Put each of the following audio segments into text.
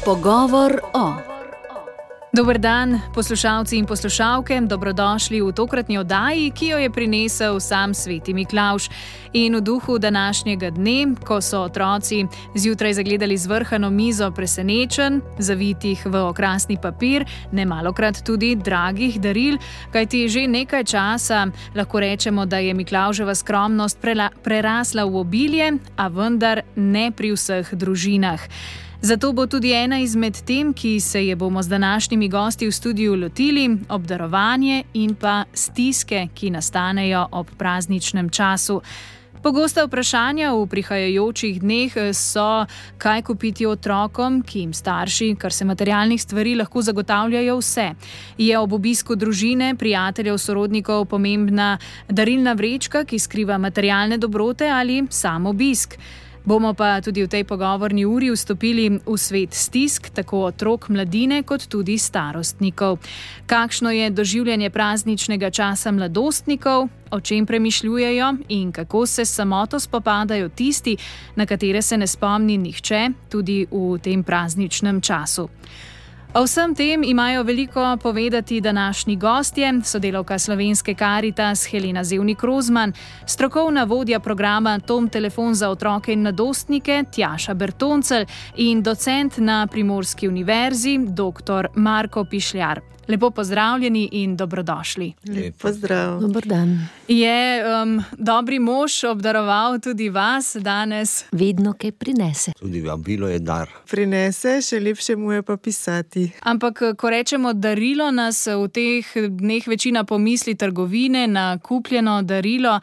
Pogovor o. Dober dan, poslušalci in poslušalke, dobrodošli v tokratni oddaji, ki jo je prinesel sam Sveti Miklavž. In v duhu današnjega dne, ko so otroci zjutraj zagledali zvrhano mizo presenečenj, zavitih v okrasni papir, nemalokrat tudi dragih daril, kajti že nekaj časa lahko rečemo, da je Miklavževa skromnost prerasla v obilje, a vendar ne pri vseh družinah. Zato bo tudi ena izmed tem, ki se je bomo z današnjimi gosti v studiu lotili, obdarovanje in pa stiske, ki nastanejo ob prazničnem času. Pogosta vprašanja v prihajajočih dneh so, kaj kupiti otrokom, ki jim starši, kar se materialnih stvari, lahko zagotavljajo vse. Je ob obisku družine, prijateljev, sorodnikov pomembna darilna vrečka, ki skriva materialne dobrote, ali sam obisk? Bomo pa tudi v tej pogovorni uri vstopili v svet stisk, tako otrok, mladine, kot tudi starostnikov. Kakšno je doživljanje prazničnega časa mladostnikov, o čem premišljujejo in kako se s samoto spopadajo tisti, na katere se ne spomni nihče, tudi v tem prazničnem času. O vsem tem imajo veliko povedati današnji gostje, sodelavka Slovenske Karitas Helena Zevnik-Rozman, strokovna vodja programa Tom telefon za otroke in mladostnike Tjaša Bertoncelj in docent na Primorski univerzi dr. Marko Pišljar. Lepo pozdravljeni in dobrodošli. Lep pozdrav. Dober dan. Je dobri mož obdaroval tudi vas danes? Vedno kaj prinese. Tudi vabilo je dar. Prinese, še lepše mu je pa pisati. Ampak, ko rečemo darilo, nas v teh dneh večina pomisli trgovine na kupljeno darilo,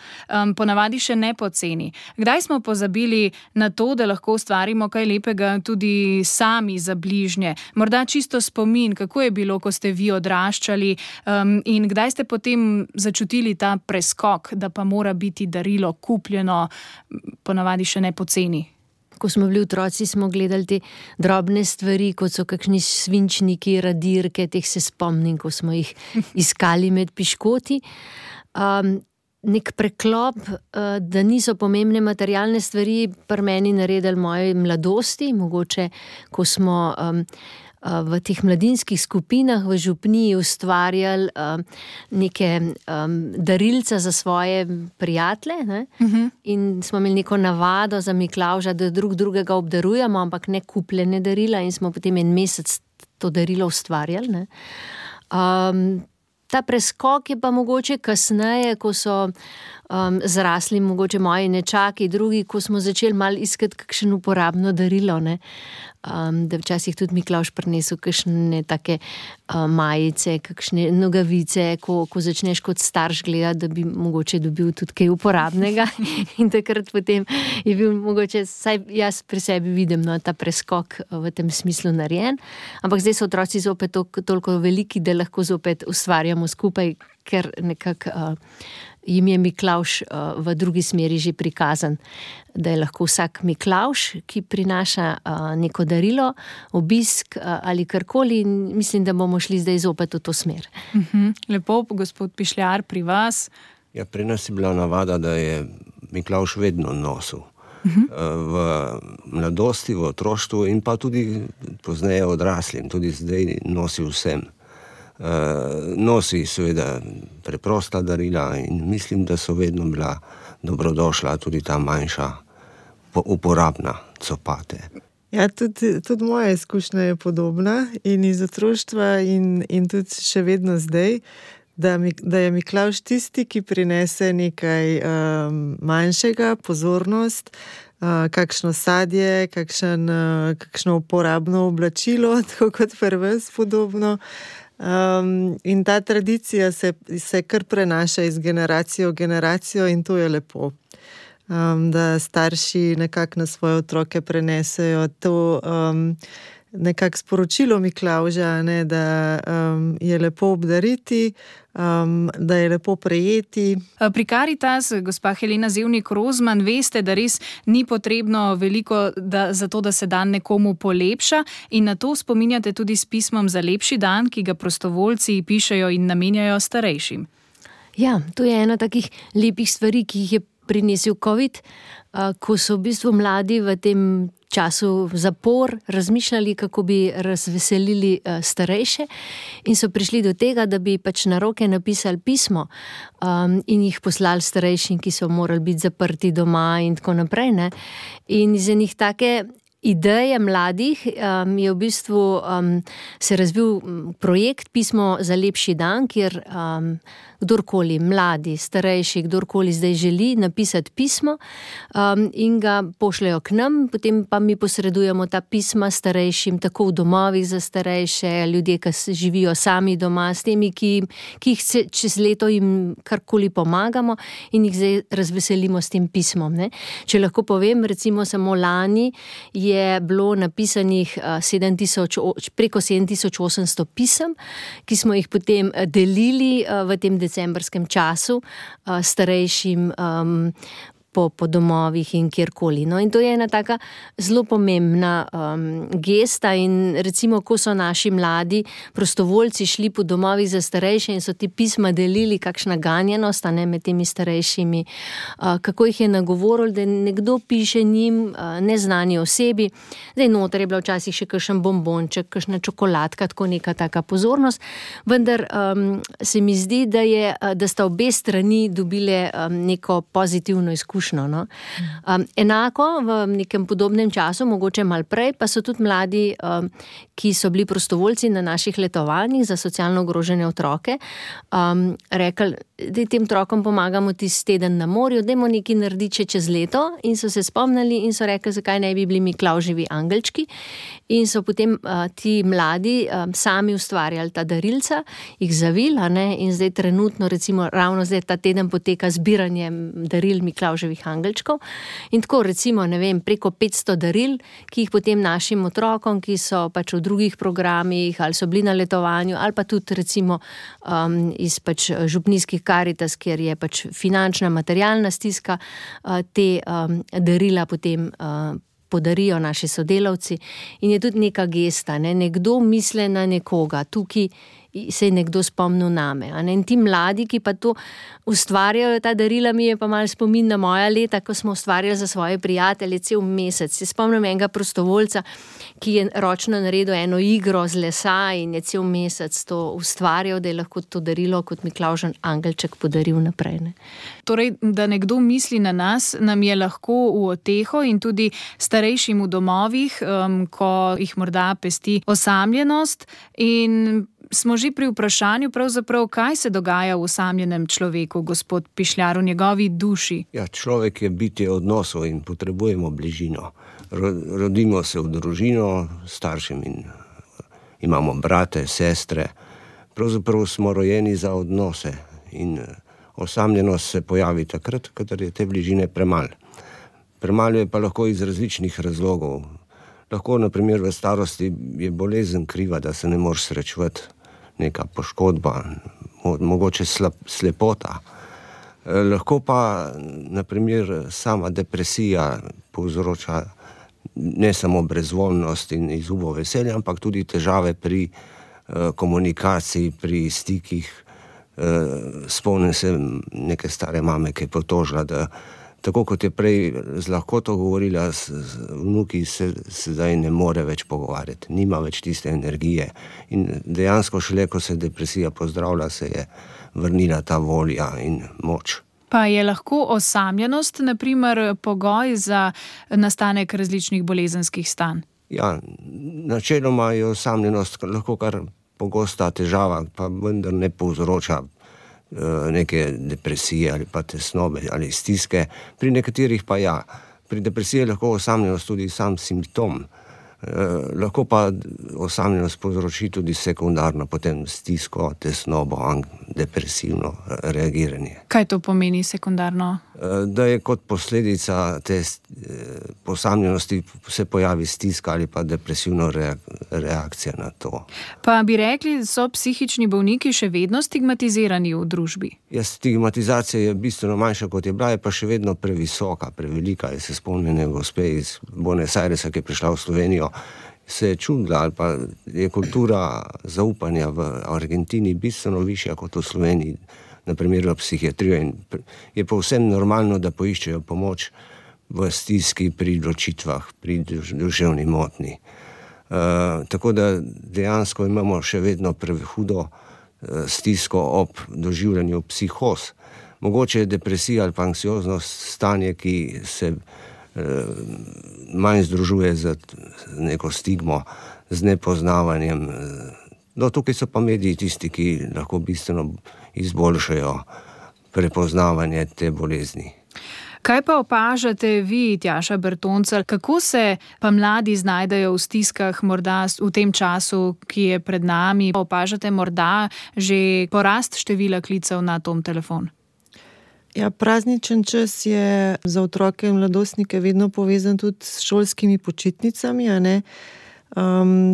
ponavadi še ne poceni. Kdaj smo pozabili na to, da lahko ustvarimo kaj lepega tudi sami za bližnje? Morda čisto spomin, kako je bilo, ko ste vi odraščali, in kdaj ste potem začutili ta preskok, da pa mora biti darilo kupljeno, ponavadi še ne poceni? Ko smo bili otroci, smo gledali te drobne stvari, kot so kakšni svinčniki, radirke, teh se spomnim, ko smo jih iskali med piškoti. Nek preklop, da niso pomembne materialne stvari, pri meni naredili moje mladosti, mogoče, ko smo v teh mladinskih skupinah v župniji ustvarjali neke darilca za svoje prijatelje, ne? In smo imeli neko navado za Miklavža, da drug drugega obdarujemo, ampak ne kupljene darila, in smo potem en mesec to darilo ustvarjali, ne? Ta preskok je pa mogoče kasneje, ko so zrasli mogoče moji nečaki, drugi, ko smo začeli malo iskati kakšen uporabno darilo, ne? Da včasih tudi Miklavž prinesel kakšne take majice, kakšne nogavice, ko začneš kot starš gledati, da bi mogoče dobil tudi kaj uporabnega. In takrat potem je bil mogoče, saj jaz pri sebi vidim, no, ta preskok v tem smislu narejen. Ampak zdaj so otroci zopet toliko veliki, da lahko zopet ustvarjamo skupaj, ker nekako jim je Miklavž v drugi smeri že prikazan, da je lahko vsak Miklavž, ki prinaša neko darilo, obisk ali karkoli, in mislim, da bomo šli zdaj zopet v to smer. Lepo, gospod Pišljar, pri vas? Ja, pri nas je bila navada, da je Miklavž vedno nosil. V mladosti, v otroštvu in pa tudi pozneje odraslim, tudi zdaj nosi vsem. Nosi seveda preprosta darila in mislim, da so vedno bila dobrodošla tudi ta manjša uporabna copate. Ja, tudi moja izkušnja je podobna in iz otroštva in tudi še vedno zdaj, da je Miklavž tisti, ki prinese nekaj manjšega, pozornost, kakšno sadje, kakšno uporabno oblačilo, tako kot pri vas podobno. In ta tradicija se kar prenaša iz generacijo v generacijo in to je lepo. Da starši nekako na svoje otroke prenesejo to nekako sporočilo Miklavža, ne, da je lepo obdariti, da je lepo prejeti. Pri Karitas, gospa Helena Zevnik-Rozman, veste, da res ni potrebno veliko za to, da se dan nekomu polepša, in na to spominjate tudi s pismom za lepši dan, ki ga prostovoljci pišejo in namenjajo starejšim. Ja, to je ena takih lepih stvari, ki jih je prinesel COVID, ko so v bistvu mladi v tem času zapor razmišljali, kako bi razveselili starejše, in so prišli do tega, da bi pač na roke napisali pismo in jih poslali starejšim, ki so morali biti zaprti doma in tako naprej, ne. In iz enih take ideje mladih je v bistvu se razvil projekt Pismo za lepši dan, kjer kdorkoli, mladi, starejši, kdorkoli zdaj želi napisati pismo in ga pošljajo k nam, potem pa mi posredujemo ta pisma starejšim, tako v domovih za starejše, ljudje, ki živijo sami doma, s temi, ki jih čez leto jim karkoli pomagamo in jih zdaj razveselimo s tem pismom, ne. Če lahko povem, recimo samo lani je bilo napisanih preko 7800 pisem, ki smo jih potem delili v tem decembrskem času starejšim po domovih in kjerkoli. No, in to je ena taka zelo pomembna gesta in recimo, ko so naši mladi prostovoljci šli po domovih za starejše in so ti pisma delili, kakšna ganjenost, a ne, med temi starejšimi, kako jih je nagovoril, da nekdo piše njim, neznani osebi. Zdaj noter je bila včasih še kakšen bombonček, kakšna čokoladka, tako neka taka pozornost, vendar se mi zdi, da sta obe strani dobile neko pozitivno izkušnjo. No? Enako v nekem podobnem času, mogoče malo prej, pa so tudi mladi, ki so bili prostovoljci na naših letovanjih za socialno ogrožene otroke, rekli, da tem otrokom pomagamo tisti teden na morju, dajmo nekaj narediti čez leto, in so se spomnili in so rekli, zakaj ne bi bili Miklavževi angelčki, in so potem ti mladi sami ustvarjali ta darilca, jih zavili, in zdaj trenutno, recimo ravno zdaj ta teden poteka zbiranje daril Miklavževih angelčkov in tako recimo, ne vem, preko 500 daril, ki jih potem našim otrokom, ki so pač v drugih programih ali so bili na letovanju ali pa tudi recimo iz pač župnijskih Karitas, kjer je pač finančna, materialna stiska, te darila potem podarijo naši sodelavci in je tudi neka gesta, ne? Nekdo misli na nekoga, tukaj se je nekdo spomnil name. In ti mladi, ki pa to ustvarjajo, ta darila, mi je pa malo spomin na moja leta, ko smo ustvarjali za svoje prijatelje cel mesec. Se spomnim enega prostovoljca, ki je ročno naredil eno igro z lesa in je cel mesec to ustvarjal, da je lahko to darilo kot Miklavžan angelček podaril naprej. Ne? Torej, da nekdo misli na nas, nam je lahko v oteho in tudi starejšim v domovih, ko jih morda pesti osamljenost, in smo že pri vprašanju pravzaprav, kaj se dogaja v osamljenem človeku, gospod Pišljar, v njegovi duši. Ja, človek je bitje odnosov in potrebujemo bližino. Rodimo se v družino, staršem in imamo brate, sestre. Pravzaprav smo rojeni za odnose in osamljenost se pojavi takrat, kadar je te bližine premalo. Premalo je pa lahko iz različnih razlogov. Lahko, na primer, v starosti je bolezen kriva, da se ne moreš srečevati, neka poškodba, mogoče slepota. Lahko pa, na primer, sama depresija povzroča ne samo brezvoljnost in izgubo veselja, ampak tudi težave pri komunikaciji, pri stikih. Spomnim se neke stare mame, ki je potožila, da tako kot je prej z lahkoto govorila, z vnuki se zdaj ne more več pogovarjati, nima več tiste energije. In dejansko šele, ko se depresija pozdravlja, se je vrnila ta volja in moč. Pa je lahko osamljenost, na primer, pogoj za nastanek različnih bolezenskih stanj? Ja, načeloma je osamljenost lahko kar pogosta težava, pa vendar ne povzroča neke depresije ali pa tesnobe ali stiske. Pri nekaterih pa ja. Pri depresiji je lahko osamljenost tudi sam simptom. Lahko pa osamljenost povzroči tudi sekundarno potem stisko, tesnobo, depresivno reagiranje. Kaj to pomeni sekundarno? Da je kot posledica te osamljenosti se pojavi stiska ali pa depresivna reakcija na to. Pa bi rekli, so psihični bolniki še vedno stigmatizirani v družbi? Ja, stigmatizacija je bistveno manjša, kot je bila, je pa še vedno previsoka, prevelika. Se spomnim gospe iz Buenos Airesa, ki je prišla v Slovenijo, se je čudila, ali pa je kultura zaupanja v Argentini bistveno višja kot v Sloveniji, na primer v psihiatrijo, in je povsem normalno, da poiščejo pomoč v stiski pri odločitvah, pri duševni motnji. Tako da dejansko imamo še vedno prehudo stisko ob doživljanju psihoz. Mogoče je depresija ali pa anksioznost stanje, ki se manj združuje z neko stigmo, z nepoznavanjem. No, tukaj so pa mediji tisti, ki lahko bistveno izboljšajo prepoznavanje te bolezni. Kaj pa opažate vi, Tjaša Bertoncelj, kako se pa mladi znajdejo v stiskah morda v tem času, ki je pred nami? Opažate morda že porast števila klicev na tom telefon? Ja, prazničen čas je za otroke in mladostnike vedno povezan tudi s šolskimi počitnicami, a ne?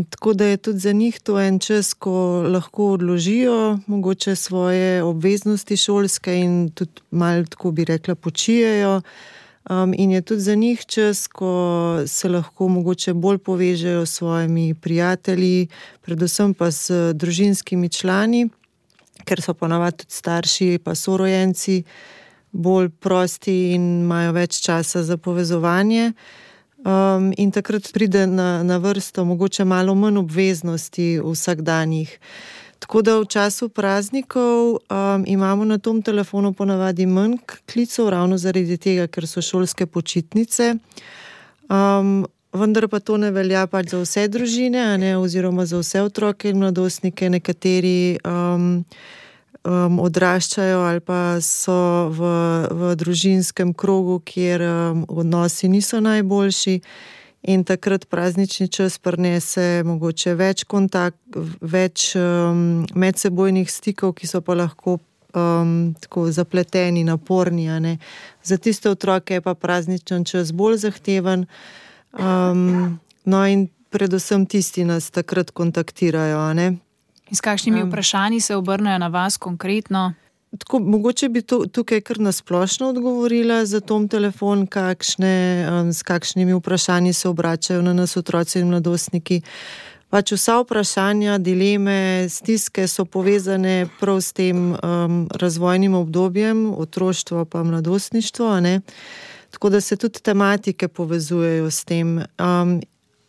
Tako da je tudi za njih to en čas, ko lahko odložijo mogoče svoje obveznosti šolske in tudi malo, tako bi rekla, počijejo. In je tudi za njih čas, ko se lahko mogoče bolj povežejo s svojimi prijatelji, predvsem pa s družinskimi člani, ker so ponavadi tudi starši pa sorojenci bolj prosti in imajo več časa za povezovanje. In takrat pride na vrsto mogoče malo manj obveznosti vsakdanjih. Tako da v času praznikov imamo na tom telefonu ponavadi manj klicev, ravno zaradi tega, ker so šolske počitnice. Vendar pa to ne velja pač za vse družine, a ne, oziroma za vse otroke in mladostnike. Nekateri odraščajo ali pa so v družinskem krogu, kjer odnosi niso najboljši, in takrat praznični čas prinese mogoče več več medsebojnih stikov, ki so pa lahko tako zapleteni, naporni, a ne. Za tiste otroke je pa prazničen čas bolj zahteven. No, in predvsem tisti nas takrat kontaktirajo, a ne. In s kakšnimi vprašanji se obrnejo na vas konkretno? Tako, mogoče bi tukaj kar nasplošno odgovorila za tom telefon, s kakšnimi vprašanji se obračajo na nas otroci in mladostniki. Pač vsa vprašanja, dileme, stiske so povezane prav s tem razvojnim obdobjem, otroštvo pa mladostništvo, a ne. Tako da se tudi tematike povezujejo s tem.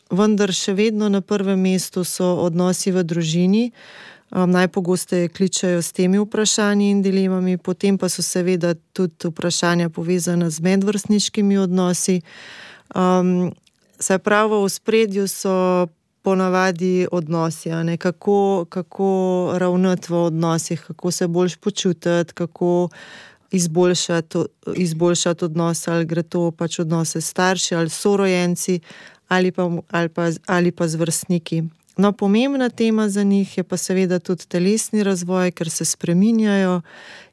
Vendar še vedno na prvem mestu so odnosi v družini. Najpogosteje kličejo s temi vprašanji in dilemami, potem pa so seveda tudi vprašanja povezana z medvrstniškimi odnosi. Se pravi, v ospredju so ponavadi odnosi, a ne, kako ravnati v odnosih, kako se boljš počutiti, kako izboljšati odnose, ali gre to pač odnose s starši ali sorojenci ali pa z vrstniki. No, pomembna tema za njih je pa seveda tudi telesni razvoj, ker se spreminjajo,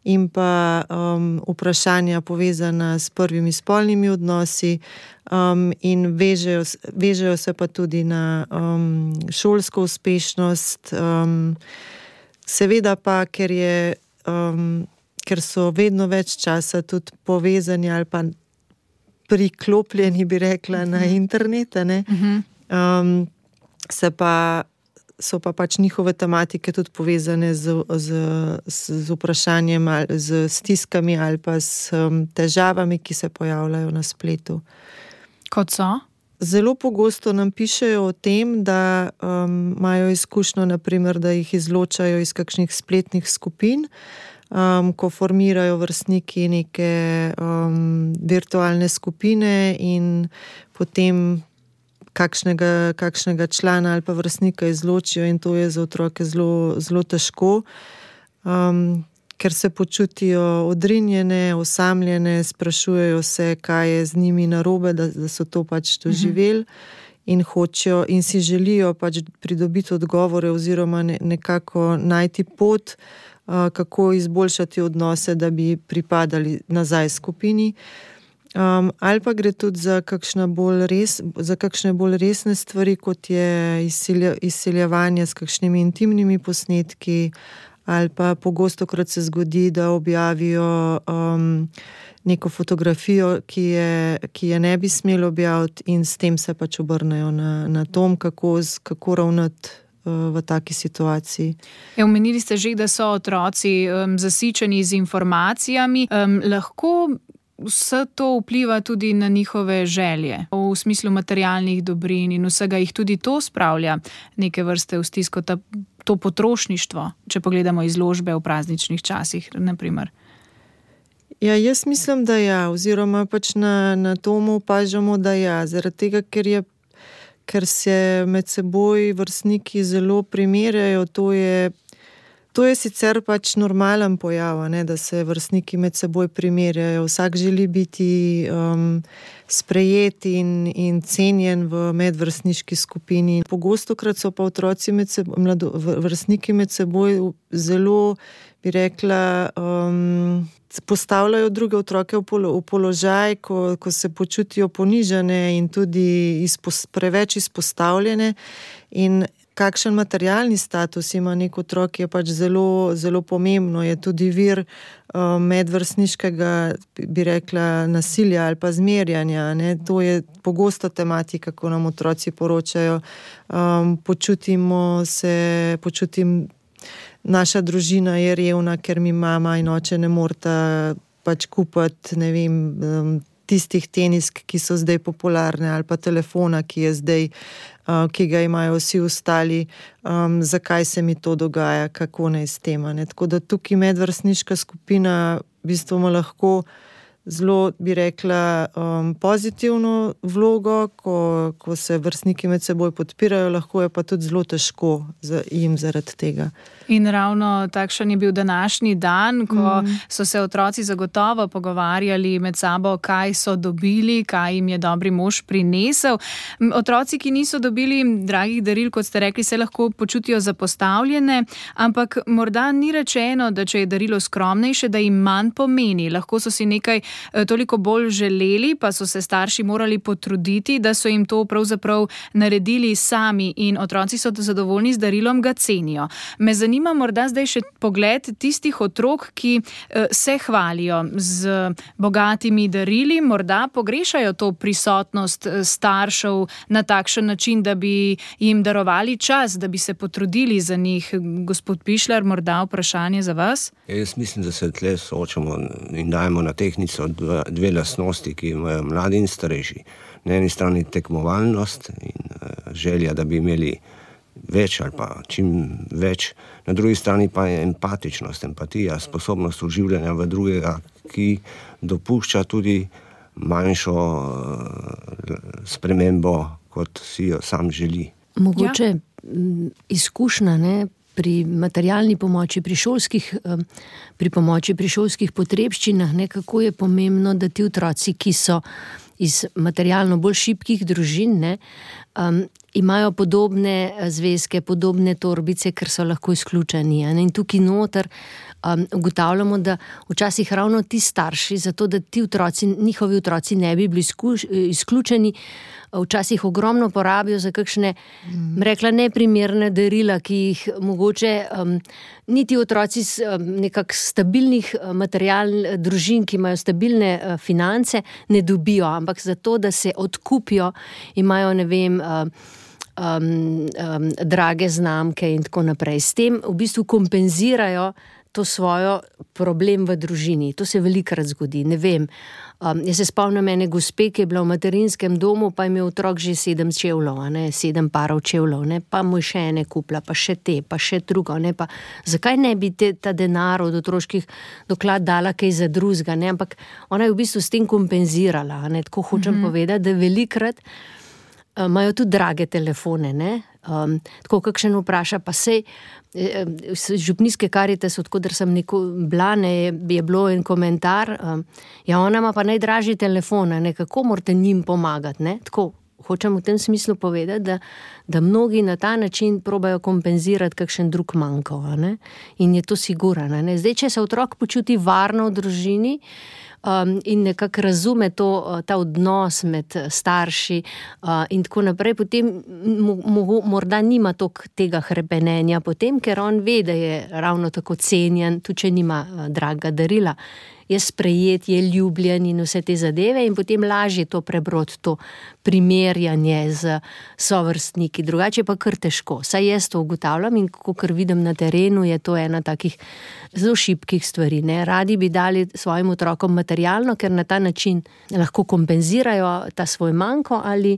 in pa vprašanja povezana s prvimi spolnimi odnosi, in vežejo se pa tudi na šolsko uspešnost. Seveda pa, ker so vedno več časa tudi povezani ali pa priklopljeni, bi rekla, na internet, ne? So pa pač njihove tematike tudi povezane z vprašanjem, z stiskami ali pa s težavami, ki se pojavljajo na spletu. Kot so? Zelo pogosto nam pišejo o tem, da imajo izkušnjo, naprimer, da jih izločajo iz kakšnih spletnih skupin, ko formirajo vrstniki neke virtualne skupine in potem kakšnega člana ali pa vrstnika izločijo, in to je za otroke zelo, zelo težko, ker se počutijo odrinjene, osamljene, sprašujejo se, kaj je z njimi narobe, da so to pač doživeli, in hočejo in si želijo pač pridobiti odgovore oziroma nekako najti pot, kako izboljšati odnose, da bi pripadali nazaj skupini. Ali pa gre tudi za kakšne bolj resne stvari, kot je izsiljevanje s kakšnimi intimnimi posnetki, ali pa pogostokrat se zgodi, da objavijo neko fotografijo, ki je ne bi smeli objaviti, in s tem se pač obrnejo na tom, kako ravnati v taki situaciji. Omenili ste že, da so otroci zasičeni z informacijami. Lahko vse to vpliva tudi na njihove želje, v smislu materialnih dobrin in vsega jih tudi to spravlja neke vrste v stisko, to potrošništvo, če pogledamo izložbe v prazničnih časih, naprimer. Ja, jaz mislim, da ja, oziroma pač na tomu opažamo, da ja, zaradi tega, ker se med seboj vrstniki zelo primerjajo, to je sicer pač normalen pojav, ne, da se vrstniki med seboj primerjajo. Vsak želi biti sprejet in cenjen v medvrstniški skupini. Pogostokrat so pa otroci vrstniki med seboj zelo, bi rekla, postavljajo druge otroke v položaj, ko se počutijo ponižane in tudi preveč izpostavljene. In kakšen materialni status ima nek otrok, je pač zelo, zelo pomembno. Je tudi vir medvrstniškega, bi rekla, nasilja ali pa zmerjanja. Ne? To je pogosta tematika, ko nam otroci poročajo. Naša družina je revna, ker mi mama in oče ne moreta pač kupiti, ne vem, tistih tenisk, ki so zdaj popularne, ali pa telefona, ki ga imajo vsi ostali, zakaj se mi to dogaja, kako naj s tem. Tako da tukaj medvrstniška skupina v bistvu ima lahko zelo, bi rekla, pozitivno vlogo, ko se vrstniki med seboj podpirajo, lahko je pa tudi zelo težko jim zaradi tega. In ravno takšen je bil današnji dan, ko so se otroci zagotovo pogovarjali med sabo, kaj so dobili, kaj jim je dobri mož prinesel. Otroci, ki niso dobili dragih daril, kot ste rekli, se lahko počutijo zapostavljene, ampak morda ni rečeno, da če je darilo skromnejše, da jim manj pomeni. Lahko so si nekaj toliko bolj želeli, pa so se starši morali potruditi, da so jim to pravzaprav naredili sami in otroci so zadovoljni z darilom, ga cenijo. Me zanima morda zdaj še pogled tistih otrok, ki se hvalijo z bogatimi darili, morda pogrešajo to prisotnost staršev na takšen način, da bi jim darovali čas, da bi se potrudili za njih. Gospod Pišler, morda vprašanje za vas? Jaz mislim, da se tle soočamo in dajemo na tehtnico dve lastnosti, ki imajo mladi in starejši. Na eni strani tekmovalnost in želja, da bi imeli več ali pa čim več, na drugi strani pa je empatičnost, empatija, sposobnost uživljanja v drugega, ki dopušča tudi manjšo spremembo, kot si jo sam želi. Mogoče izkušnja, ne? Pri materialni pomoči, pri pomoči pri šolskih potrebščinah, ne, kako je pomembno, da ti otroci, ki so iz materialno bolj šibkih družin, ne, imajo podobne zvezke, podobne torbice, ker so lahko izključeni. In tukaj noter ugotavljamo, da včasih ravno ti starši, zato da ti otroci, njihovi otroci ne bi bili izključeni, včasih ogromno porabijo za kakšne, rekla, neprimerne darila, ki jih mogoče niti otroci z nekak stabilnih družin, ki imajo stabilne finance, ne dobijo, ampak zato, da se odkupijo, imajo, ne vem, drage znamke in tako naprej. S tem v bistvu kompenzirajo to svojo problem v družini. To se velikokrat zgodi, ne vem. Jaz se spomnim ene gospe, ki je bila v materinskem domu, pa je imel otrok že 7 čevljev, 7 parov čevljev, pa mu je še ene kupila, pa še te, pa še drugo. Pa zakaj ne bi ta denar od otroških doklad dala kaj za drugega? Ampak ona je v bistvu s tem kompenzirala. Tako hočem povedati, da velikokrat imajo tudi drage telefone, ne? Tako kakšen vpraša, pa sej župnijske Karitas, odkudar sem bila, je bilo en komentar, ja, ona ima pa najdražji telefon, kako morate njim pomagati, ne? Tako hočem v tem smislu povedati, da mnogi na ta način probajo kompenzirati kakšen drug manjko, ne? In je to sigurno, ne? Zdaj, če se otrok počuti varno v družini, in nekako razume ta odnos med starši in tako naprej, potem morda nima toliko tega hrepenenja potem, ker on ve, da je ravno tako cenjen, tudi če nima draga darila. je sprejet, je ljubljen in vse te zadeve in potem lažje to prebrod, to primerjanje z sovrstniki. Drugače pa kar težko. Saj jaz to ugotavljam in kakor vidim na terenu, je to ena takih zelo šibkih stvari. Ne? Radi bi dali svojim otrokom materialno, ker na ta način lahko kompenzirajo ta svoj manko ali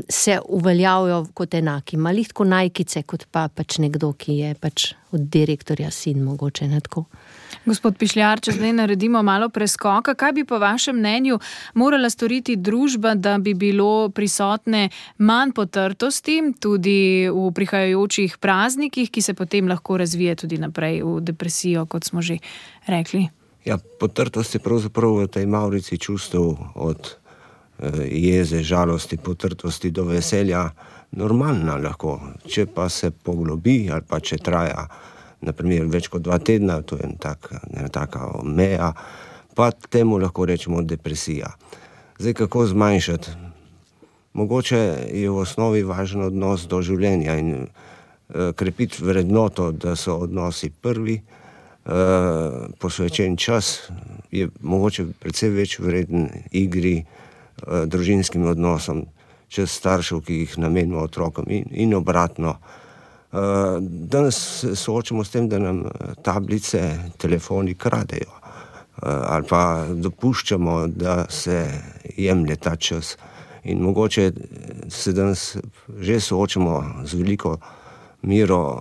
se uveljavijo kot enaki. Malih tako najkice, kot pa pač nekdo, ki je pač od direktorja sin mogoče, ne tako. Gospod Pišljar, če zdaj naredimo malo preskoka, kaj bi po vašem mnenju morala storiti družba, da bi bilo prisotne manj potrtosti tudi v prihajajočih praznikih, ki se potem lahko razvije tudi naprej v depresijo, kot smo že rekli? Ja, potrtost je pravzaprav v tej mavrici čustev od jeze, žalosti, potrtosti do veselja normalna lahko. Če pa se poglobi ali pa če traja naprimer več kot 2 tedna, to je ena taka meja, pa temu lahko rečemo depresija. Zdaj, kako zmanjšati? Mogoče je v osnovi važen odnos do življenja in krepiti vrednoto, da so odnosi prvi, posvečen čas je mogoče precej več vreden igri, družinskim odnosom, čez staršev, ki jih namenimo otrokom in obratno. Danes se soočamo s tem, da nam tablice, telefoni kradejo ali pa dopuščamo, da se jemlje ta čas. In mogoče se danes že soočamo z veliko mero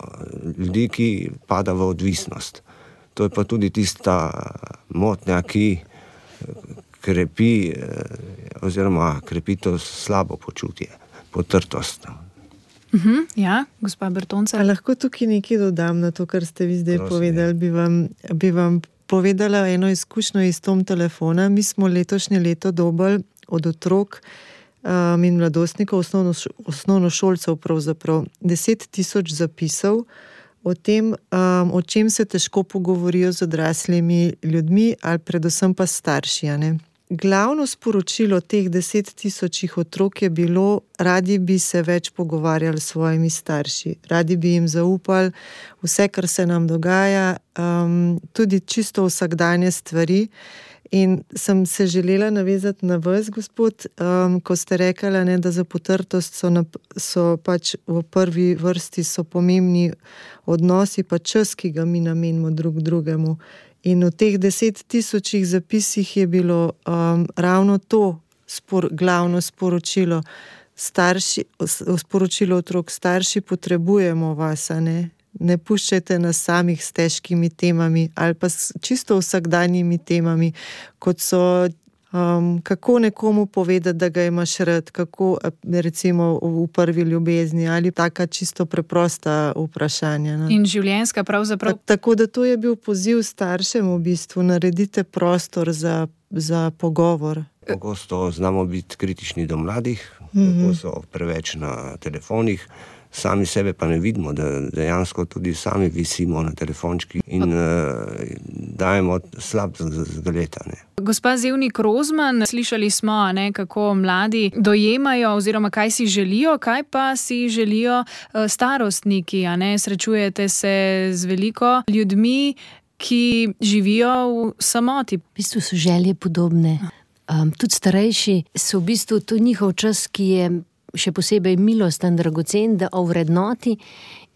ljudi, ki pada v odvisnost. To je pa tudi tista motnja, ki krepi oziroma krepi to slabo počutje, potrtost. Ja, gospa Bertoncelj. Lahko tukaj nekaj dodam na to, kar ste vi zdaj povedali. Bi vam povedala eno izkušnjo iz tom telefona. Mi smo letošnje leto dobili od otrok in mladostnikov, osnovnošolcev pravzaprav 10,000 zapisov o tem, o čem se težko pogovorijo z odraslimi ljudmi ali predvsem pa starši, ne? Glavno sporočilo teh 10,000 otrok je bilo, radi bi se več pogovarjali s svojimi starši, radi bi jim zaupali vse, kar se nam dogaja, tudi čisto vsakdanje stvari. In sem se želela navezati na vas, gospod, ko ste rekli, ne, da za potrtost so pač v prvi vrsti so pomembni odnosi, pa čas, ki ga mi namenimo drug drugemu. In v teh 10,000 zapisih je bilo ravno to glavno sporočilo. Sporočilo otrok, starši potrebujemo vas, ne puščajte nas samih s težkimi temami ali pa s čisto vsakdanjimi temami, kot so kako nekomu povedati, da ga imaš rad, kako recimo v prvi ljubezni ali taka čisto preprosta vprašanja. Ne? In življenjska pravzaprav. Tako da to je bil poziv staršem v bistvu, naredite prostor za pogovor. Pogosto znamo biti kritični do mladih, kako so preveč na telefonih, sami sebe pa ne vidimo, da dejansko tudi sami visimo na telefončki in dajemo slab zgled. Gospa Zevnik Rozman, slišali smo, kako mladi dojemajo oziroma kaj si želijo, kaj pa si želijo starostniki. Srečujete se z veliko ljudmi, ki živijo v samoti. V bistvu so želje podobne. Tudi starejši so v bistvu to njihov čas, ki je še posebej milosten, dragocen, da ovrednoti,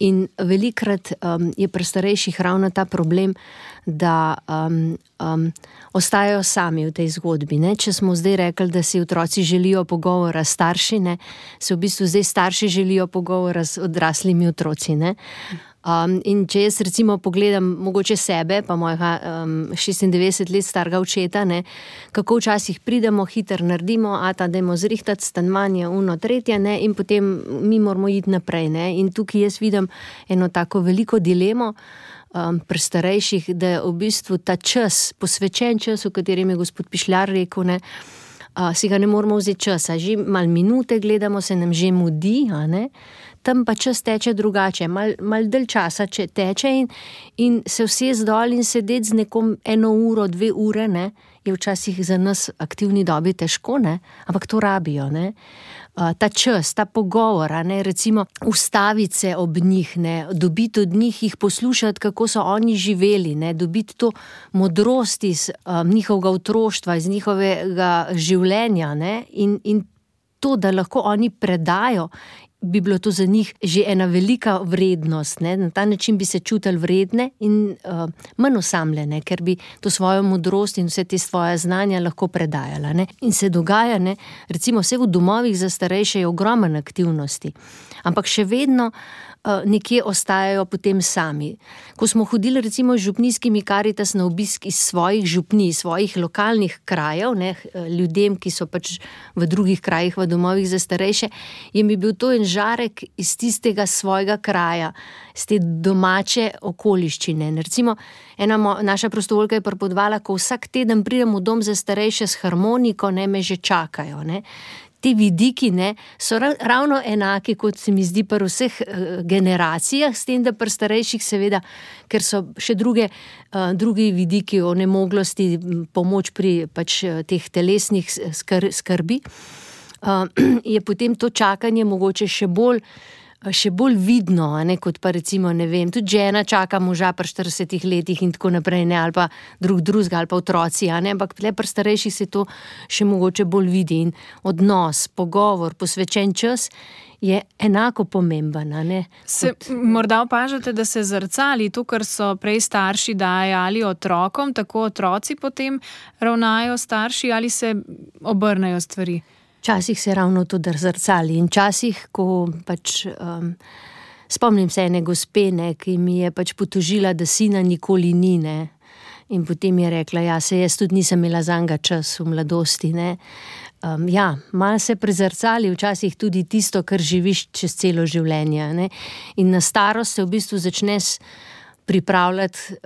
in velikrat je pri starejših ravno ta problem, da ostajajo sami v tej zgodbi. Ne? Če smo zdaj rekli, da si otroci želijo pogovora s starši, ne? Se v bistvu zdaj starši želijo pogovora z odraslimi otroci. Ne? In če jaz recimo pogledam mogoče sebe, pa mojega 96 let starega očeta, ne, kako včasih pridemo, hitro naredimo, dajmo zrihtati stanovanje, tretje, ne, in potem mi moramo iti naprej. Ne. In tukaj jaz vidim eno tako veliko dilemo pri starejših, da je v bistvu ta čas, posvečen čas, o katerem je gospod Pišljar rekel, ne, si ga ne moramo vzeti časa. Že malo minute gledamo, se nam že mudi, ne. Tam pa čas teče drugače, malo dalj časa teče in se vse zdol in sedeti z nekom 1 uro, 2 ure, ne, je včasih za nas aktivni dobi težko, ne, ampak to rabijo, ne. ta čas, ta pogovor, recimo ustaviti se ob njih, dobiti od njih, jih poslušati, kako so oni živeli, dobiti to modrost iz njihovega otroštva, iz njihovega življenja, in to, da lahko oni predajo, bi bilo to za njih že ena velika vrednost. Na ta način bi se čutili vredne in manj osamljene, ker bi to svojo modrost in vse te svoje znanja lahko predajala. In se dogaja, recimo vse v domovih za starejše je ogromno aktivnosti, ampak še vedno nekje ostajajo potem sami. Ko smo hodili recimo z župnijskimi Karitas na obisk iz svojih župnij, svojih lokalnih krajev, ljudem, ki so pač v drugih krajih, v domovih za starejše, je mi bil to en žarek iz tistega svojega kraja, z te domače okoliščine. Recimo, ena naša prostovoljka je pripovedovala, ko vsak teden pridem v dom za starejše s harmoniko, me že čakajo. Ti vidiki so ravno enaki, kot se mi zdi pri vseh generacijah, s tem, da pri starejših seveda, ker so še drugi vidiki onemoglosti, pomoč pri pač teh telesnih skrbi, je potem to čakanje mogoče še bolj vidno, kot pa recimo, tudi žena čaka moža pri 40 letih in tako naprej, ali pa drugega, ali pa otroci, ampak pri starejših se to še mogoče bolj vidi in odnos, pogovor, posvečen čas je enako pomemben. Se morda opažate, da se zrcali to, kar so prej starši dajali otrokom, tako otroci potem ravnajo starši ali se obrnejo stvari? Včasih se ravno to zrcali in včasih, ko pač spomnim se ene gospe, ki mi je pač potožila, da sina nikoli ni, in potem je rekla, se jaz tudi nisem imela zanjega čas v mladosti, malo se prezrcali včasih tudi tisto, kar živiš čez celo življenje, in na starost se v bistvu začneš pripravljati,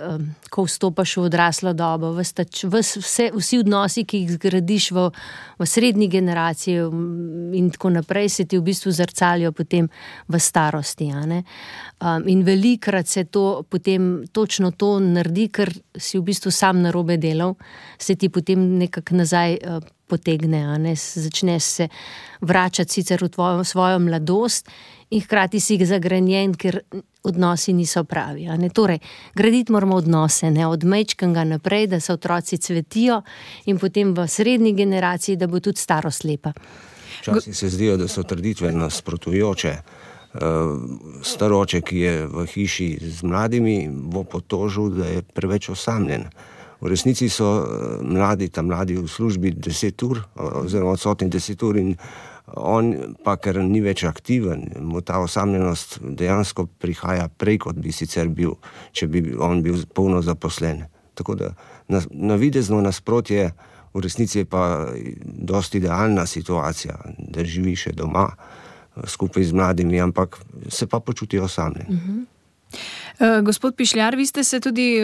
ko vstopaš v odraslo dobo, vsi odnosi, ki jih zgradiš v srednji generaciji in tako naprej, se ti v bistvu zrcalijo potem v starosti. In velikrat se to potem točno to naredi, ker si v bistvu sam narobe delal, se ti potem nekako nazaj potegne, začneš se vračati sicer v svojo mladost in hkrati si zagrenjen, ker odnosi niso pravi. Torej, graditi moramo odnose, od majčkega naprej, da se otroci cvetijo in potem v srednji generaciji, da bo tudi starost lepa. Včasih se zdijo, da so trditve nasprotujoče. Staroče, ki je v hiši z mladimi, bo potožil, da je preveč osamljen. V resnici so ta mladi v službi 10 ur, oziroma odsotni 10 ur in on pa, ker ni več aktiven, mu ta osamljenost dejansko prihaja prej, kot bi sicer bil, če bi on bil polno zaposlen. Tako da navidezno nasprotje, v resnici je pa dosti idealna situacija, da živi še doma skupaj z mladimi, ampak se pa počuti osamljen. Gospod Pišljar, vi ste se tudi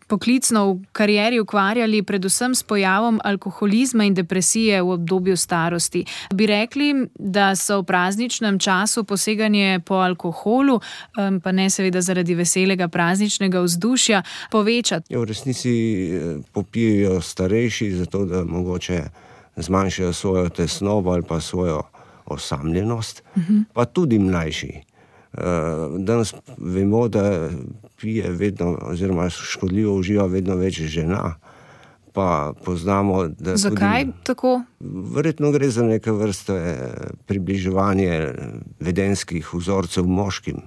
poklicno v karieri ukvarjali predvsem s pojavom alkoholizma in depresije v obdobju starosti. Bi rekli, da so v prazničnem času poseganje po alkoholu, pa ne seveda zaradi veselega prazničnega vzdušja, povečati? V resnici popijejo starejši, zato da mogoče zmanjšajo svojo tesnobo ali pa svojo osamljenost, pa tudi mlajši. Danes vemo, da pije vedno, oziroma škodljivo uživa vedno več žena, pa poznamo, da zakaj tudi, tako? Verjetno gre za neke vrste približevanje vedenjskih vzorcev moškim.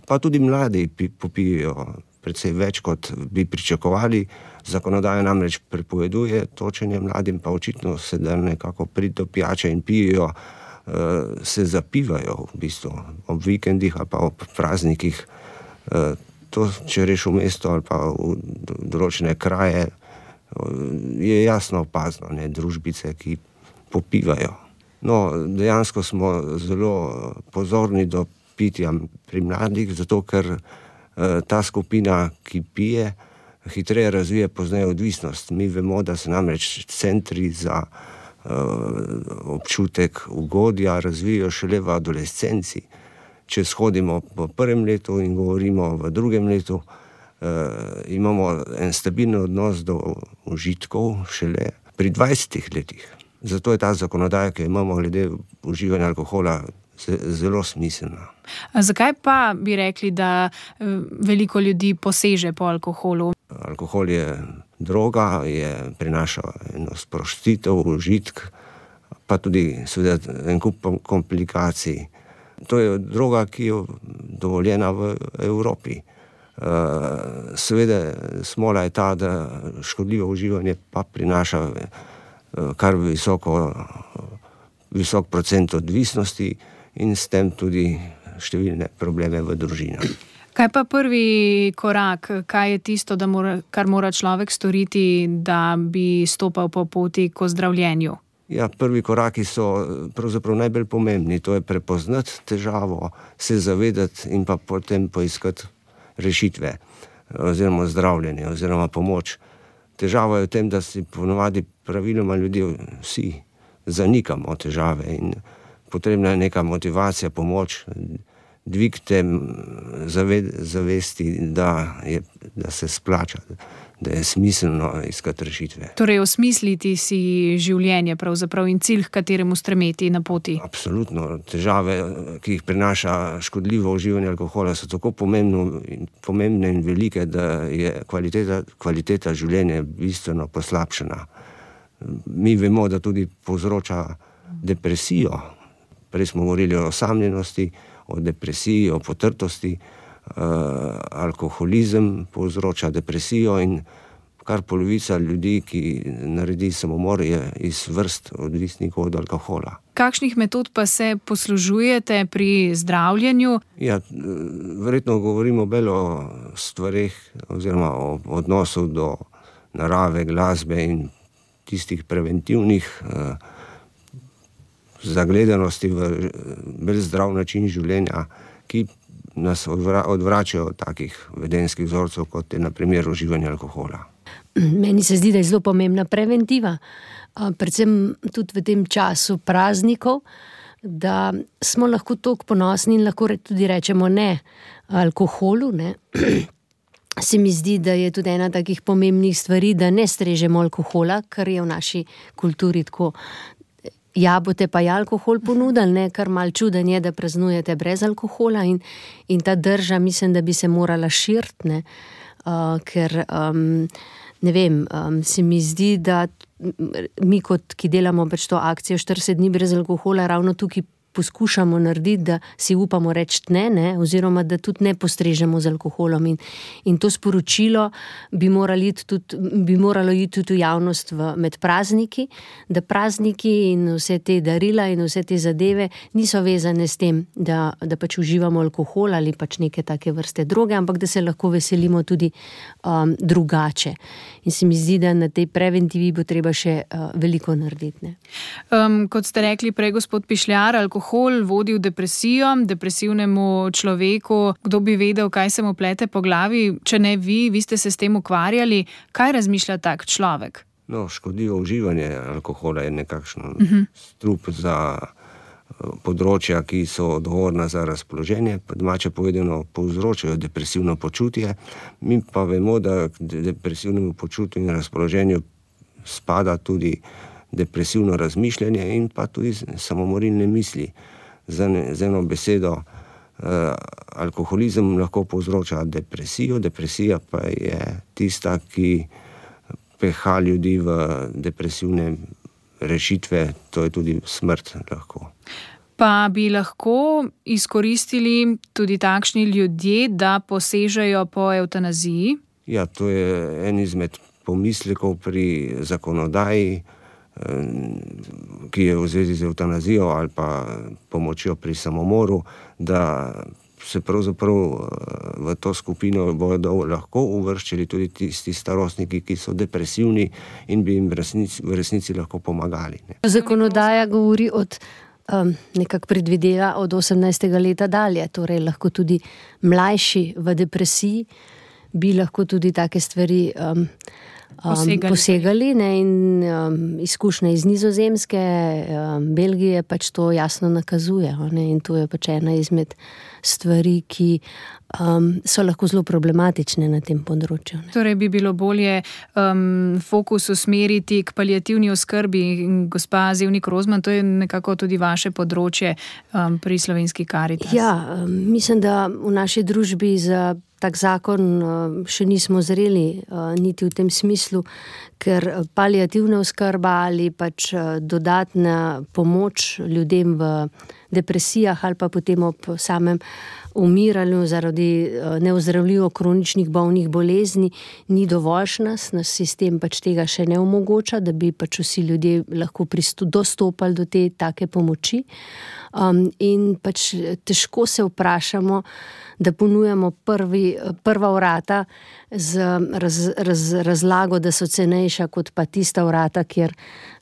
Pa tudi mladi popijejo precej več, kot bi pričakovali. Zakonodaja namreč prepoveduje točenje mladim, pa očitno se da nekako priti do pijače in pijejo, se zapivajo v bistvu ob vikendih ali pa ob praznikih. To, če reš v mesto ali pa v določene kraje, je jasno opazno, družbice, ki popivajo. No, dejansko smo zelo pozorni do pitja pri mladih, zato ker ta skupina, ki pije, hitreje razvije pozneje odvisnost. Mi vemo, da se namreč centri za občutek ugodja razvijajo šele v adolescenci. Če shodimo v prvem letu in govorimo v drugem letu, imamo en stabilen odnos do užitkov šele pri 20 letih. Zato je ta zakonodaja, ki jo imamo glede uživanja alkohola, zelo smiselna. Zakaj pa bi rekli, da veliko ljudi poseže po alkoholu? Alkohol je droga, prinaša eno sprostitev, užitk, pa tudi seveda en kup komplikacij. To je droga, ki je dovoljena v Evropi. Seveda smola je ta, da škodljivo uživanje pa prinaša kar visok procent odvisnosti in s tem tudi številne probleme v družinah. Kaj pa prvi korak? Kaj je tisto, kar mora človek storiti, da bi stopal po poti k ozdravljenju? Ja, prvi koraki so pravzaprav najbolj pomembni. To je prepoznati težavo, se zavedati in pa potem poiskati rešitve oziroma zdravljenje oziroma pomoč. Težava je v tem, da si ponovadi praviloma ljudje vsi zanikamo težave in potrebna je neka motivacija, pomoč, dvig te zavesti, da se splača, da je smiselno iskati rešitve. Torej osmisliti si življenje pravzaprav in cilj, k kateremu stremeti na poti. Absolutno. Težave, ki jih prinaša škodljivo uživanje alkohola, so tako pomembne in velike, da je kvaliteta življenja bistveno poslabšana. Mi vemo, da tudi povzroča depresijo. Prej smo govorili o osamljenosti, o depresiji, o potrtosti. Alkoholizem povzroča depresijo in kar polovica ljudi, ki naredi samomor, je iz vrst odvisnikov od alkohola. Kakšnih metod pa se poslužujete pri zdravljenju? Ja, verjetno govorimo bolj o stvareh oziroma o odnosu do narave, glasbe in tistih preventivnih zagledanosti v bolj zdrav način življenja, ki nas odvračajo od takih vedenjskih vzorcev, kot je na primer uživanje alkohola. Meni se zdi, da je zelo pomembna preventiva, predvsem tudi v tem času praznikov, da smo lahko toliko ponosni in lahko tudi rečemo ne alkoholu, ne. Se mi zdi, da je tudi ena takih pomembnih stvari, da ne strežemo alkohola, kar je v naši kulturi tako. Ja, boste pa alkohol ponudili, ne, kar malo čuden je, da praznujete brez alkohola in ta drža, mislim, da bi se morala širiti, ne, ker, ne vem, se mi zdi, da mi kot, ki delamo pač to akcijo 40 dni brez alkohola, ravno tukaj poskušamo narediti, da si upamo reči ne, oziroma da tudi ne postrežemo z alkoholom in to sporočilo bi moralo iti tudi v javnost med prazniki, da prazniki in vse te darila in vse te zadeve niso vezane s tem, da pač uživamo alkohol ali pač neke take vrste droge, ampak da se lahko veselimo tudi drugače. In se mi zdi, da na tej preventivi bo treba še veliko narediti. Ne? Kot ste rekli prej, gospod Pišljar, alkohol vodi v depresijo, depresivnemu človeku. Kdo bi vedel, kaj se mu plete po glavi? Če ne vi ste se s tem ukvarjali. Kaj razmišlja tak človek? No, škodljivo uživanje alkohola je nekakšno strup za področja, ki so odgovorna za razpoloženje, pa domače povedano povzročajo depresivno počutje. Mi pa vemo, da k depresivnemu počutju in razpoloženju spada tudi depresivno razmišljanje in pa tudi samomorilne misli. Z eno besedo, alkoholizem lahko povzroča depresijo, depresija pa je tista, ki peha ljudi v depresivne rešitve, to je tudi smrt lahko. Pa bi lahko izkoristili tudi takšni ljudje, da posežejo po evtanaziji? Ja, to je en izmed pomislekov pri zakonodaji, ki je v zvezi z evtanazijo ali pa pomočjo pri samomoru, da se pravzaprav v to skupino bodo lahko uvrščali tudi tisti starostniki, ki so depresivni in bi jim v resnici lahko pomagali. Ne. Zakonodaja govori nekako predvideva od 18. leta dalje, torej lahko tudi mlajši v depresiji bi lahko tudi take stvari posegali, ne, in izkušnje iz Nizozemske, Belgije pač to jasno nakazuje, ne, in to je pač ena izmed stvari, ki so lahko zelo problematične na tem področju. Ne. Torej bi bilo bolje fokus usmeriti k paliativni oskrbi. Gospa Zevnik Rozman, to je nekako tudi vaše področje pri Slovenski Karitas. Ja, mislim, da v naši družbi za tak zakon še nismo zreli niti v tem smislu, ker paliativna oskrba ali pač dodatna pomoč ljudem v depresijah ali pa potem ob samem umiranju zaradi neozdravljivo kroničnih bolnih bolezni ni dovoljšna, naš sistem pač tega še ne omogoča, da bi pač vsi ljudje lahko dostopali do te take pomoči. In pač težko se vprašamo, da ponujamo prva vrata z razlago, da so cenejša kot pa tista vrata, kjer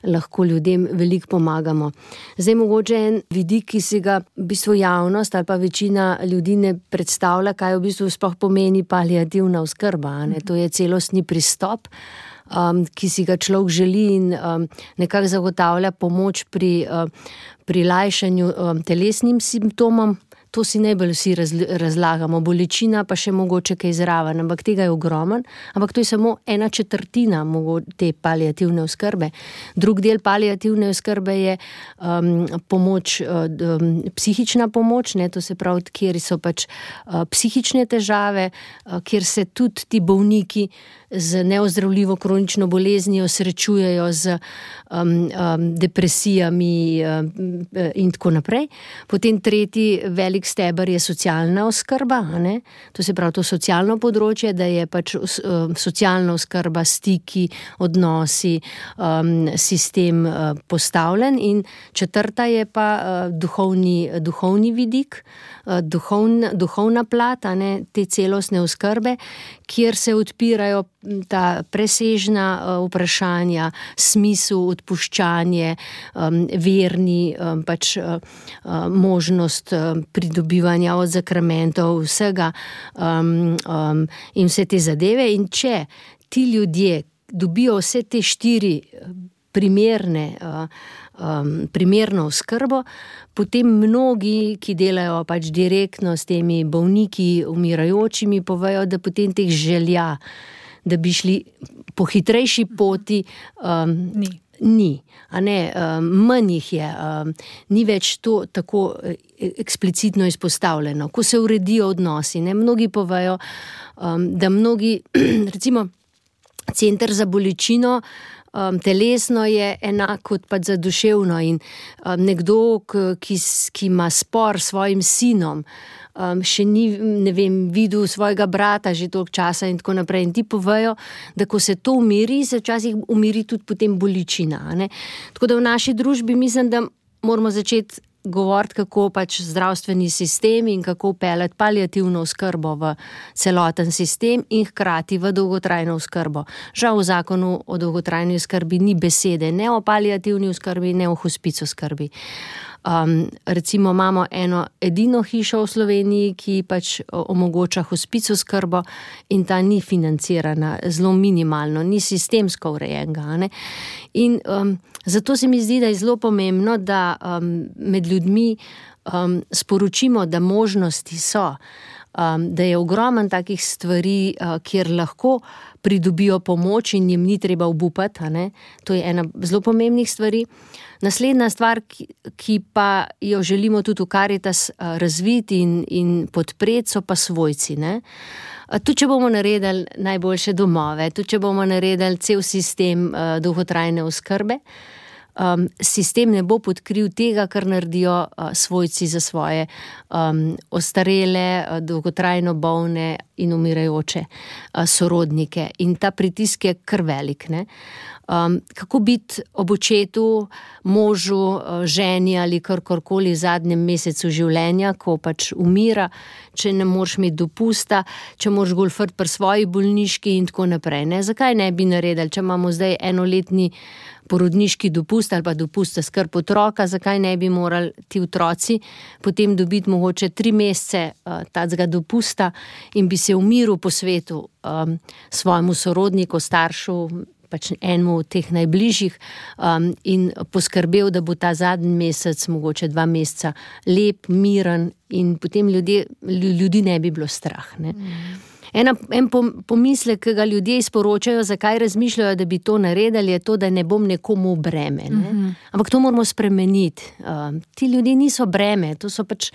lahko ljudem veliko pomagamo. Zdaj mogoče en vidik, ki si ga v bistvu javnost ali pa večina ljudi ne predstavlja, kaj v bistvu sploh pomeni paliativna oskrba, ne? To je celostni pristop, ki si ga človek želi in nekako zagotavlja pomoč pri lajšanju telesnim simptomom. To si najbolj vsi razlagamo, bolečina pa še mogoče kaj zraven, ampak tega je ogromno, ampak to je samo 1/4 te paliativne oskrbe. Drug del paliativne oskrbe je pomoč, psihična pomoč, ne, to se pravi, kjer so pač psihične težave, kjer se tudi ti bolniki z neozdravljivo kronično boleznijo srečujejo z depresijami in tako naprej. Potem tretji velik steber je socialna oskrba, ne? To se pravi to socialno področje, da je pač socialna oskrba, stiki, odnosi, sistem postavljen, in četrta je pa duhovni vidik, duhovna plat, ne, te celostne oskrbe, kjer se odpirajo ta presežna vprašanja, smisel, odpuščanje, verni, pač možnost pridobivanja od zakramentov, vsega in vse te zadeve. In če ti ljudje dobijo vse te 4 primerno oskrbo, potem mnogi, ki delajo pač direktno s temi bolniki, umirajočimi, povejo, da potem teh želja, da bi šli po hitrejši poti, ni. A ne, manj jih je, ni več to tako eksplicitno izpostavljeno. Ko se uredijo odnosi, ne, mnogi povejo, da mnogi, recimo, center za bolečino telesno je enak kot pa za duševno, in nekdo, ki ima spor s svojim sinom, še ni, ne vem, videl svojega brata že toliko časa in tako naprej. In ti povejo, da ko se to umiri, se včasih umiri tudi potem bolečina, ne. Tako da v naši družbi mislim, da moramo začeti govoriti, kako pač zdravstveni sistem in kako peljati paliativno oskrbo v celoten sistem in hkrati v dolgotrajno oskrbo. Žal v zakonu o dolgotrajni oskrbi ni besede ne o paliativni oskrbi, ne o hospic oskrbi. Recimo imamo eno edino hišo v Sloveniji, ki pač omogoča hospic oskrbo, in ta ni financirana, zelo minimalno, ni sistemsko urejenega, ne. In zato se mi zdi, da je zelo pomembno, da med ljudmi sporočimo, da možnosti so, da je ogromno takih stvari, kjer lahko pridobijo pomoč in jim ni treba obupati, a ne. To je ena zelo pomembnih stvari. Naslednja stvar, ki pa jo želimo tudi v Karitas razviti in podpreti, so pa svojci, ne. Tudi če bomo naredili najboljše domove, tudi če bomo naredili cel sistem dolgotrajne oskrbe, sistem ne bo podkril tega, kar naredijo svojci za svoje ostarele, dolgotrajno bolne in umirajoče sorodnike. In ta pritisk je kar velik, ne. Kako biti ob očetu, možu, ženi ali karkoli v zadnjem mesecu življenja, ko pač umira, če ne moreš imeti dopusta, če moraš golfati pri svoji bolniški in tako naprej. Ne? Zakaj ne bi naredili, če imamo zdaj enoletni porodniški dopust ali pa dopust za skrb otroka, zakaj ne bi morali ti otroci potem dobiti mogoče 3 mesece tacega dopusta in bi se v miru posvetil svojemu sorodniku, staršu, pač enemu od teh najbližjih in poskrbel, da bo ta zadnji mesec, mogoče 2 meseca, lep, miren in potem ljudi ne bi bilo strah. Ne? En pomislek, ki ga ljudje sporočajo, zakaj razmišljajo, da bi to naredili, je to, da ne bom nekomu breme. Ne? Ampak to moramo spremeniti. Ti ljudje niso breme, to so pač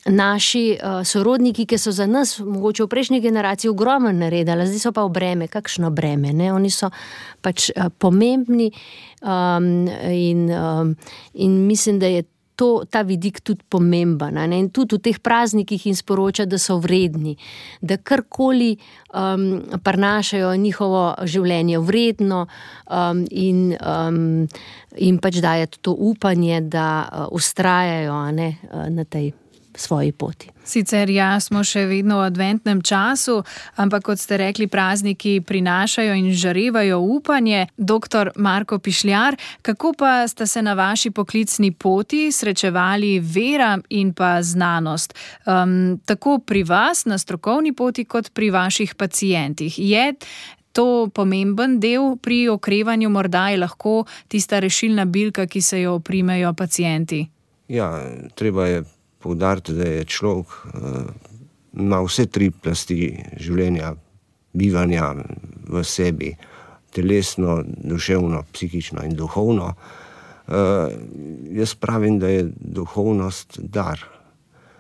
naši sorodniki, ki so za nas mogoče v prejšnji generaciji ogromno naredili, zdaj so pa v breme. Kakšno breme? Ne? Oni so pač pomembni in mislim, da je ta vidik tudi pomemben. Ne? In tudi v teh praznikih jim sporoča, da so vredni, da karkoli prinašajo njihovo življenje vredno in pač daje to upanje, da vztrajajo na tej svoji poti. Sicer smo še vedno v adventnem času, ampak kot ste rekli, prazniki prinašajo in žarevajo upanje. Doktor Marko Pišljar, kako pa sta se na vaši poklicni poti srečevali vera in pa znanost? Tako pri vas na strokovni poti kot pri vaših pacientih. Je to pomemben del pri okrevanju, morda je lahko tista rešilna bilka, ki se jo oprimejo pacienti? Ja, treba je poudariti, da je človek ima vse 3 plasti življenja, bivanja v sebi, telesno, duševno, psihično in duhovno. Jaz pravim, da je duhovnost dar.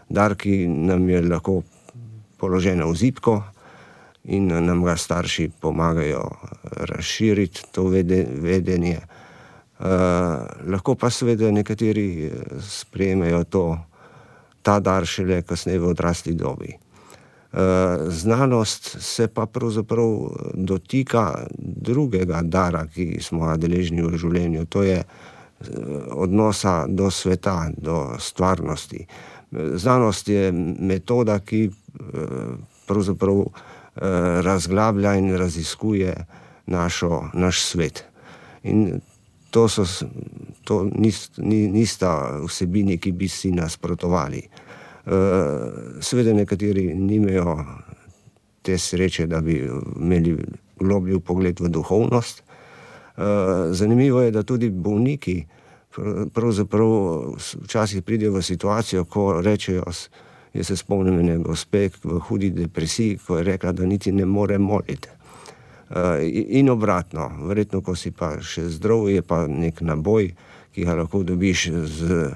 Dar, ki nam je lahko položen v zibko in nam ga starši pomagajo razširiti to vedenje. Lahko pa seveda nekateri sprejmejo ta dar šele kasneje v odrasli dobi. Znanost se pa pravzaprav dotika drugega dara, ki smo ga deležni v življenju, to je odnosa do sveta, do stvarnosti. Znanost je metoda, ki pravzaprav razglablja in raziskuje naš svet. In to nista vsebini, ki bi si nasprotovali. Seveda nekateri nimajo te sreče, da bi imeli globlji vpogled v duhovnost. Zanimivo je, da tudi bolniki pravzaprav včasih pridejo v situacijo, ko rečejo, jaz se spomnim ene gospe v hudi depresiji, ko je rekla, da niti ne more moliti. In obratno, verjetno, ko si pa še zdrav, je pa nek naboj, ki ga lahko dobiš z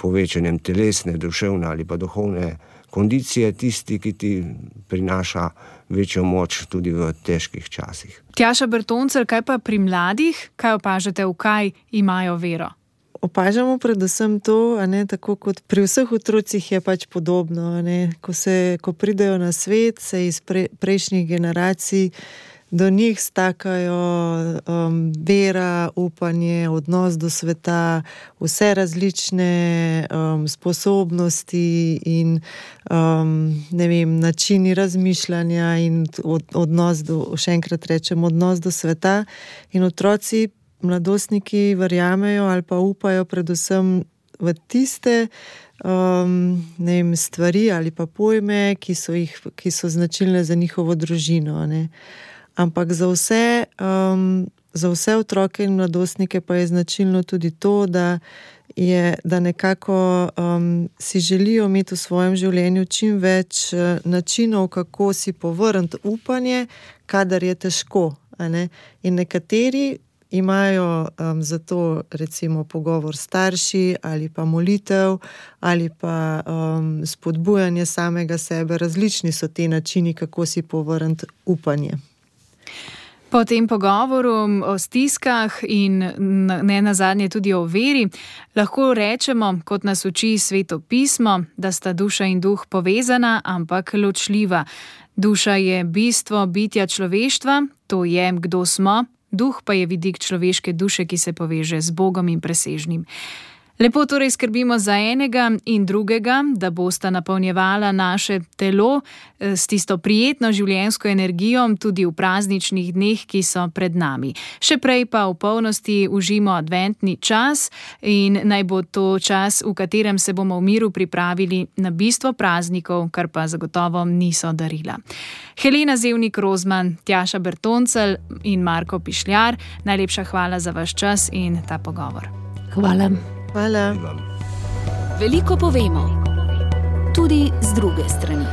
povečanjem telesne, duševne ali pa duhovne kondicije, tisti, ki ti prinaša večjo moč tudi v težkih časih. Tjaša Bertoncelj, kaj pa pri mladih? Kaj opažate, v kaj imajo vero? Opažamo predvsem to, tako kot pri vseh otrocih je pač podobno. Ko pridejo na svet, se iz prejšnjih generacij do njih stakajo vera, upanje, odnos do sveta, vse različne sposobnosti in načini razmišljanja in odnos še enkrat rečem, odnos do sveta. In otroci, mladostniki verjamejo ali pa upajo predvsem v tiste stvari ali pa pojme, ki so značilne za njihovo družino. Ampak za vse otroke in mladostnike pa je značilno tudi to, da nekako si želijo imeti v svojem življenju čim več načinov, kako si povrniti upanje, kadar je težko. In nekateri imajo zato recimo pogovor s starši ali pa molitev ali pa spodbujanje samega sebe. Različni so ti načini, kako si povrniti upanje. Po tem pogovoru o stiskah in ne nazadnje tudi o veri, lahko rečemo, kot nas uči Sveto pismo, da sta duša in duh povezana, ampak ločljiva. Duša je bistvo bitja človeštva, to je, kdo smo, Duh pa je vidik človeške duše, ki se poveže z Bogom in presežnim. Lepo torej skrbimo za enega in drugega, da bosta napolnjevala naše telo s tisto prijetno življenjsko energijo tudi v prazničnih dneh, ki so pred nami. Še prej pa v polnosti užimo adventni čas in naj bo to čas, v katerem se bomo v miru pripravili na bistvo praznikov, kar pa zagotovo niso darila. Helena Zevnik-Rozman, Tjaša Bertoncelj in Marko Pišljar, najlepša hvala za vaš čas in ta pogovor. Hvala. Hvala. Veliko povemo, tudi z druge strani.